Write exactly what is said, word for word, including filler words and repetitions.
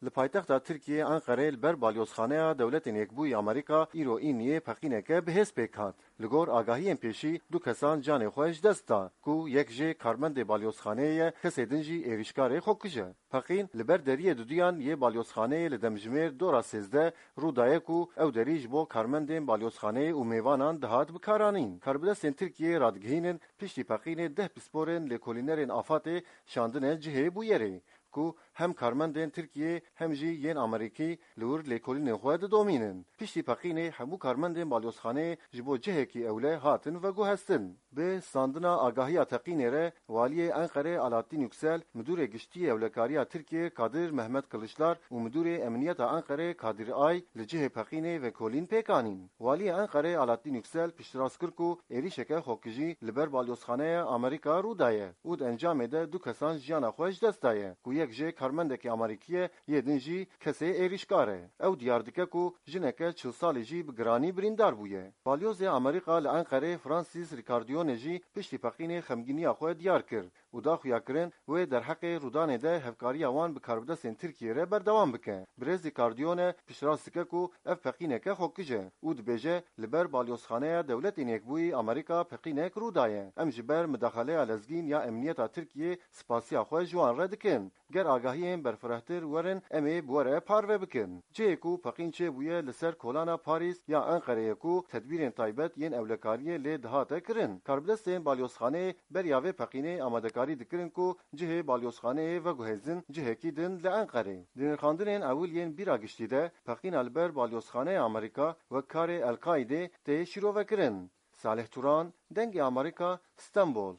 Li paytexta Tirkiyê Enqerê li ber Balyozxaneya Dewletên Yekbûyî Amerîka îro Îniyê peqîneke bi hêz pêk hat. Li gor agahiyên pêşî du kesan canê xwe ji dest da, ku yek jê karmendê balyozxaneyê ye, kesê din jî êrîşkarê xwe kuje. Peqîn li ber deriyê duduyan yê balyozxaneyê li demjimêr dora sêzdeh rû daye ku ew derî ji bo karmendên balyozxaneyê û mêvanan dihat bikaranîn. Karbidestên Tirkiyê radigihînin, piştî peqînê deh pisporên lêkolînerên AFADê şandine cihê bûyerê, ku hem karmendên Tirkiyê hem jî yên Amerîkî li wir lêkolînên xwe didomînin. Piştî peqînê hemû karmendên balyozxaneyê ji bo cihekî ewle hatin veguhestin. Bi standina agahiya teqînê re, Waliyê Enqerê Alaaddin Yüksel, Midûrê Giştî yê Ewlekariya Tirkiyê Kadir Mehmet Kılıçlar û Midûrê Emniyeta Enqerê Kadir Ay li cihê peqînê vekolîn pêk anîn. Waliyê Enqerê Alaaddin Yüksel piştrast kir ku êrîşeke xwekijî li ber balyozxaneya Amerîka rû daye û di encamê de du kesan jiyana xwe ji dest daye, ku yek jê karmendekî Amerîkî ye, yê din jî kesê êrîşkar e. Ew diyar dike ku jineke çil salî jî bi giranî birîndar bûye. Balyozê Amerîka li Enqerê Francis Ricardone jî piştî peqînê xemgîniya xwe diyar kir û da xuyakirin wê derheqê rûdanê de hevkariya wan bi karbidestên Tirkiyê re berdewam bike. Birêz Ricardone piştrast dike ku ev peqîneke xwekij e û dibêje, li ber Balyozxaneya Dewletên Yekbûyî Amerîka peqînek rû daye. Em ji ber midaxaleya lezgîn ya emniyeta Tirkiyê spasiya xwe ji wan re dikin. Ger agahiyên berfirehtir werin, em ê bi we re parve bikin. Cihê ku peqîn çêbûye li ser kolana Parîs ya Enqereyê ku tedbîrên taybet yên ewlekariyê lê dihate kirin. Karbidestên balyozxaneyê beriya vê peqînê amadekarî dikirin ku cihê balyozxaneyê veguhêzin cihekî din li Enqerê. Di nirxandinên ewil yên bîra giştî de peqîna li ber balyozxaneya Amerîka wek karê El-Qaîdê tê şîrovekirin. Salih Turan, Dengê Amerîka, Stenbol.